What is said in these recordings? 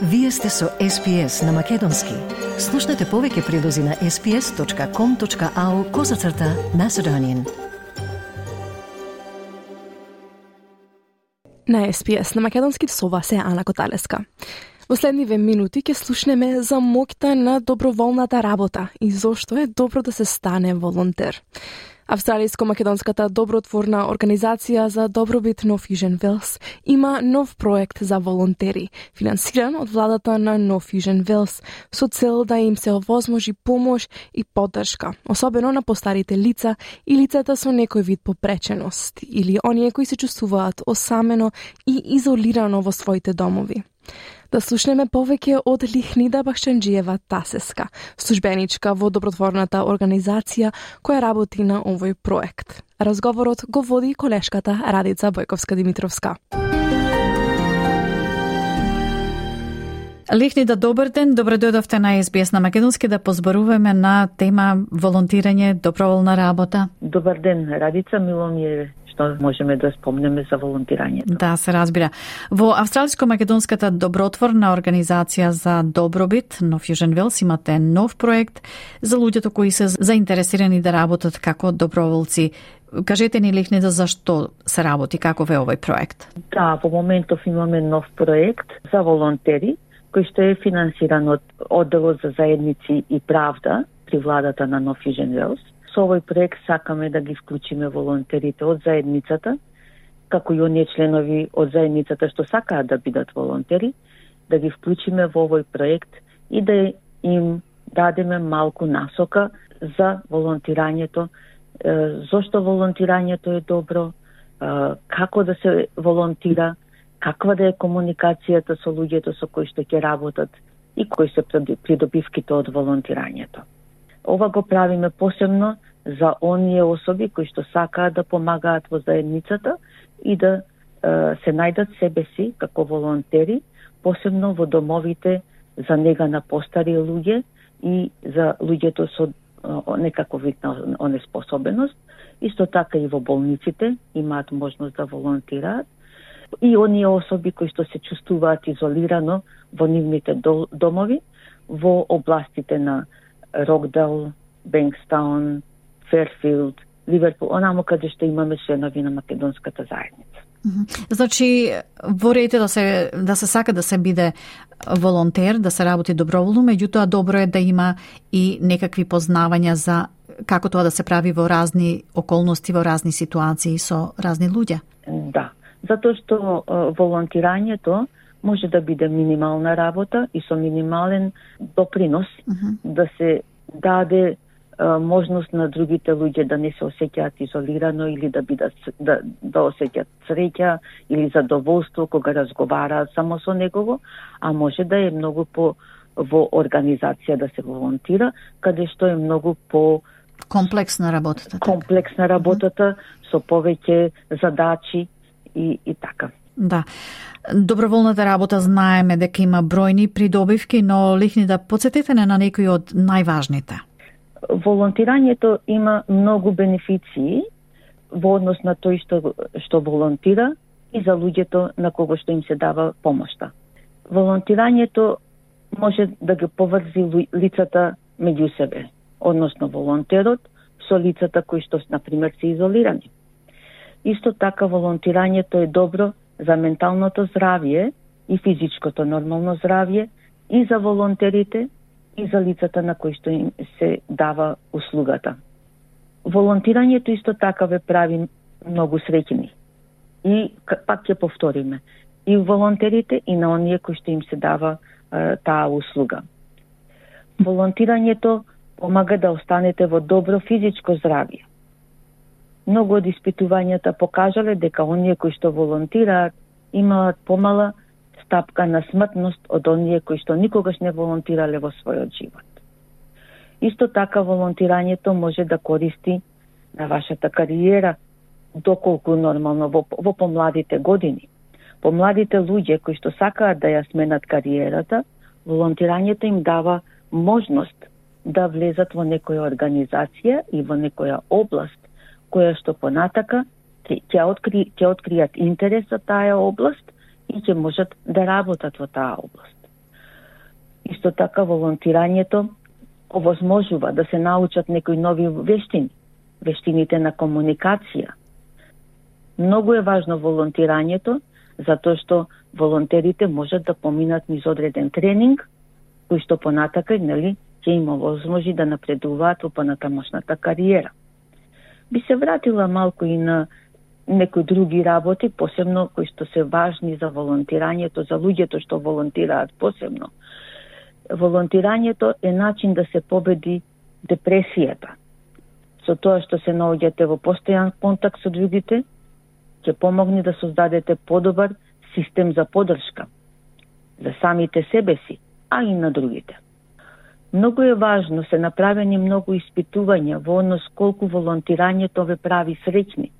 Вие сте со SPS на Македонски. Слушнете повеќе прилози на sps.com.au/Macedonian. На SPS на Македонски со вас е Ана Коталеска. Во следниве минути ќе слушнеме за моќта на доброволната работа и зошто е добро да се стане волонтер. Австралиско-македонската добротворна организација за добробит North Fusion Wales има нов проект за волонтери, финансиран од владата на North Fusion Wales, со цел да им се овозможи помош и поддршка, особено на постарите лица и лицата со некој вид попреченост, или оние кои се чувствуваат осамено и изолирано во своите домови. Да слушнеме повеќе од Лихнида Бахчанџиева Тасеска, службеничка во добротворната организација која работи на овој проект. Разговорот го води колешката Радица Бојковска-Димитровска. Лихнида, добар ден, добре дојдовте на SBS на Македонски да позборуваме на тема волонтирање, доброволна работа. Добар ден, Радица, мило ми е што можеме да спомнеме за волонтирањето. Да, се разбира. Во Австралиско-македонската добротворна организација за добробит North Fusion Wales имате нов проект за луѓето кои се заинтересирани да работат како доброволци. Кажете ни, Лихнида, зашто се работи, каков е овој проект? Да, во моментов имаме нов проект за волонтери, кој што е финансиран од Одделот за заедници и правда при владата на North Fusion Wales. Со овој проект сакаме да ги вклучиме волонтерите од заедницата, како и оние членови од заедницата што сакаат да бидат волонтери, да ги вклучиме во овој проект и да им дадеме малку насока за волонтирањето, зошто волонтирањето е добро, како да се волонтира, каква да е комуникацијата со луѓето со кои што ќе работат и кои се придобивките од волонтирањето. Ова го правиме посебно за оние особи кои што сакаат да помагаат во заедницата и да се најдат себе си како волонтери, посебно во домовите за нега на постари луѓе и за луѓето со некаков вид на онеспособеност. Исто така и во болниците имаат можност да волонтираат. И оние особи кои што се чувствуваат изолирано во нивните домови, во областите на Рокдал, Бенкстаун, Ферфилд, Ливерпул, онаму каде што имаме членови на македонската заедница. Значи, во ред е да се сака да се биде волонтер, да се работи доброволно, меѓутоа добро е да има и некакви познавања за како тоа да се прави во разни околности, во разни ситуации со разни луѓе. Да, затоа што волонтирањето може да биде минимална работа и со минимален допринос да се даде можност на другите луѓе да не се осеќаат изолирано или да бидат да осеќаат среќа или задоволство кога разговараат само со негово, а може да е многу по во организација да се волонтира, каде што е многу по комплексна работата. Комплексна работата со повеќе задачи и така. Да. Доброволната работа знаеме дека има бројни придобивки, но Лихнида, подсетете на некои од најважните. Волонтирањето има многу бенефиции во однос на тој што волонтира и за луѓето на кого што им се дава помошта. Волонтирањето може да ги поврзи лицата меѓу себе, односно волонтерот со лицата кои што, например, се изолирани. Исто така волонтирањето е добро за менталното здравје и физичкото нормално здравје и за волонтерите и за лицата на кои што им се дава услугата. Волонтирањето исто така ве прави многу среќни. И пак ќе повториме, и волонтерите и на оние кои што им се дава таа услуга. Волонтирањето помага да останете во добро физичко здравје. Многу од испитувањата покажале дека оние кои што волонтираат имаат помала стапка на смртност од оние кои што никогаш не волонтирале во својот живот. Исто така волонтирањето може да користи на вашата кариера, доколку нормално во помладите години. Помладите луѓе кои што сакаат да ја сменат кариерата, волонтирањето им дава можност да влезат во некоја организација и во некоја област која што понатака ќе откријат интерес за таа област и ќе можат да работат во таа област. Исто така волонтирањето овозможува да се научат некои нови вештини, вештините на комуникација. Многу е важно волонтирањето, затоа што волонтерите можат да поминат низ одреден тренинг, кој што понатака, ќе им овозможи да напредуваат во понатамошната кариера. Би се вратила малку и на некои други работи, посебно кои што се важни за волонтирањето, за луѓето што волонтираат посебно. Волонтирањето е начин да се победи депресијата. Со тоа што се наоѓате во постојан контакт со другите, ќе помогне да создадете подобар систем за поддршка за самите себе си, а и на другите. Многу е важно, се направени многу испитувања во однос колку волонтирањето ве прави среќни.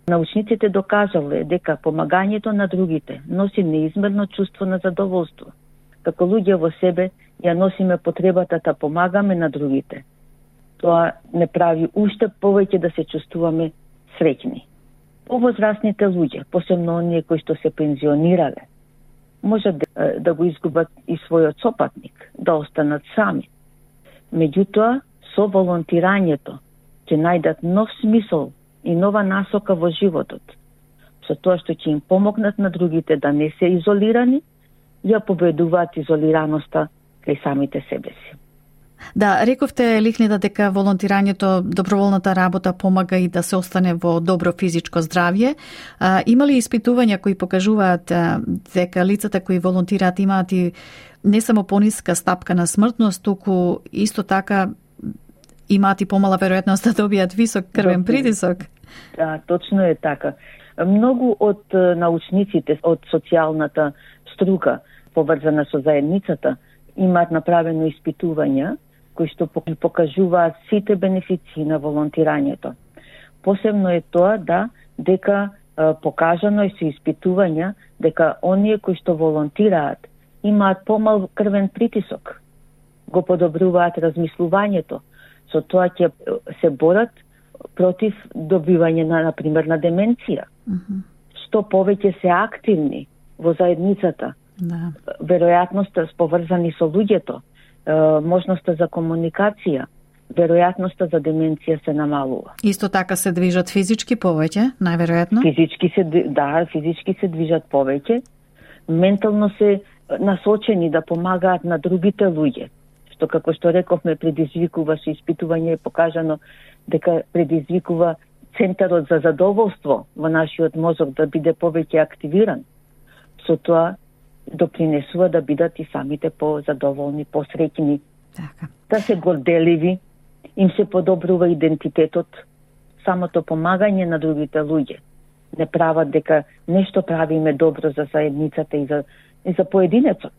Научниците докажале дека помагањето на другите носи неизмерно чувство на задоволство. Како луѓе во себе ја носиме потребата да помагаме на другите. Тоа не прави уште повеќе да се чувствуваме среќни. Повозрастните луѓе, посебно оние кои што се пензионирале, можат да го изгубат и својот сопатник, да останат сами. Меѓутоа, со волонтирањето ќе најдат нов смисол и нова насока во животот, со тоа што ќе им помогнат на другите да не се изолирани, ја победуваат изолираноста кај самите себе си. Да, рековте, Лихнида, дека волонтирањето, доброволната работа помага и да се остане во добро физичко здравје. Има ли испитувања кои покажуваат дека лицата кои волонтираат имаат и не само пониска стапка на смртност, туку исто така имаат и помала веројатност да добијат висок крвен притисок? Да, точно е така. Многу од научниците од социјалната струка, поврзана со заедницата, имаат направено испитувања кои што покажуваат сите бенефиции на волонтирањето. Посебно е тоа дека покажано е со испитувања дека оние кои што волонтираат имаат помал крвен притисок, го подобруваат размислувањето, со тоа ќе се борат против добивање на пример на деменција. Што повеќе се активни во заедницата, веројатноста поврзани со луѓето, можноста за комуникација, веројатноста за деменција се намалува. Исто така се движат физички повеќе, најверојатно? Физички се движат повеќе, ментално се насочени да помагаат на другите луѓе, што како што рековме предизвикува со испитување е покажано дека предизвикува центарот за задоволство во нашиот мозок да биде повеќе активиран. Со тоа допринесува да бидат и самите позадоволни, посреќни, да се горделиви, им се подобрува идентитетот. Самото помагање на другите луѓе не прават дека нешто правиме добро за заедницата и за поединецот.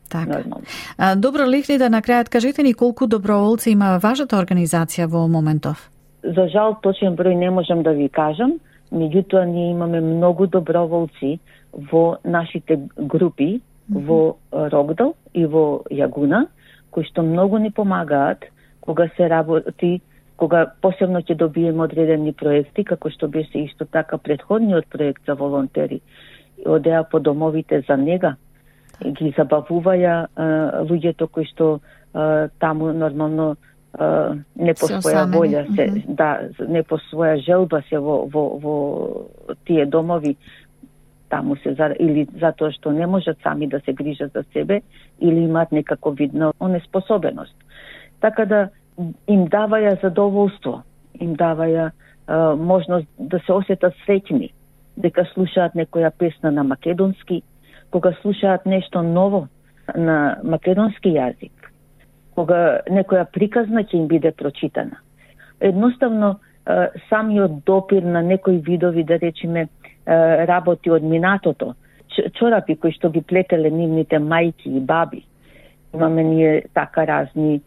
Така. Добро, Лихнида, на крајот кажете ни колку доброволци има вашата организација во моментов? За жал, точен број не можам да ви кажам, меѓутоа ние имаме многу доброволци во нашите групи, во Рогдал и во Јагуна, кои што многу ни помагаат кога се работи, кога посебно ќе добиеме одредени проекти, како што беше исто така претходниот проект за волонтери. Одеа по домовите за нега, ги забавуваја луѓето кои што таму нормално не по своја волја се, не по своја желба се во тие домови, таму се или затоа што не можат сами да се грижат за себе или имаат некако видна онеспособеност. Така да им даваја задоволство, им даваја можност да се осетат среќни, дека слушаат некоја песна на македонски, кога слушаат нешто ново на македонски јазик, кога некоја приказна ќе им биде прочитана. Едноставно, самиот допир на некои видови, да речеме, работи од минатото, чорапи кои што ги плетеле нивните мајки и баби. Имаме ние така разни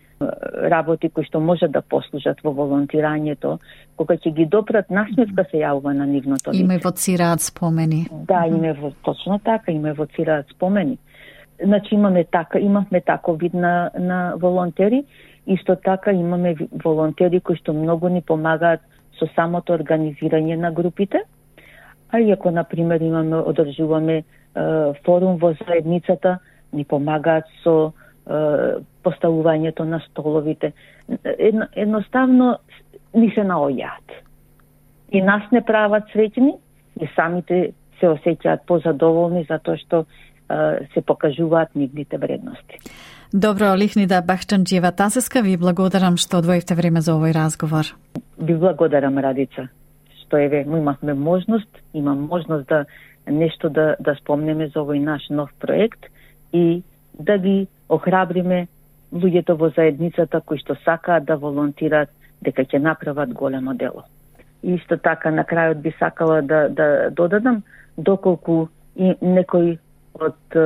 работи кои што можат да послужат во волонтирањето, кога ќе ги допрат насмевка се јавува на нивното лице. Има евоцираат спомени. Да, точно така, има евоцираат спомени. Значи имавме тако вид на волонтери, исто така имаме волонтери кои што многу ни помагаат со самото организирање на групите, а и ако, например, одржуваме форум во заедницата, ни помагаат со поставувањето на столовите. Едноставно ни се наоѓаат. И нас не прават среќни, и самите се осеќаат позадоволни затоа што се покажуваат нивните вредности. Добро, Лихнида Бахчанџиева Тасеска, ви благодарам што одвоивте време за овој разговор. Ви благодарам, Радица, што имавме имам можност да нешто да спомнеме за овој наш нов проект и да ги охрабриме луѓето во заедницата кои што сакаат да волонтираат дека ќе направат големо дело. И исто така на крајот би сакала да додадам доколку и некои од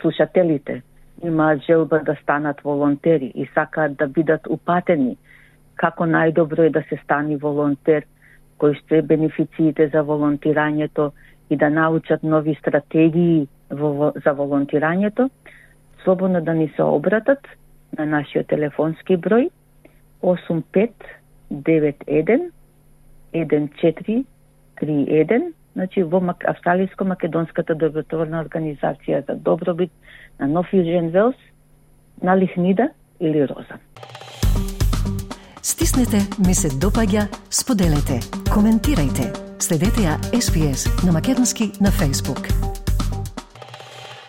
слушателите имаат желба да станат волонтери и сакаат да бидат упатени како најдобро е да се стани волонтер, кои што бенефициите за волонтирањето и да научат нови стратегии за волонтирањето, слободно да ни се обратат на нашиот телефонски број 8591 1431, значи во Австралиско-македонската добротворна организација за добробит на Нов Јужен Велс, на Лихнида или Роза. Стиснете, ми се допаѓа, споделете, коментирајте. Следете ја SPS на македонски на Facebook.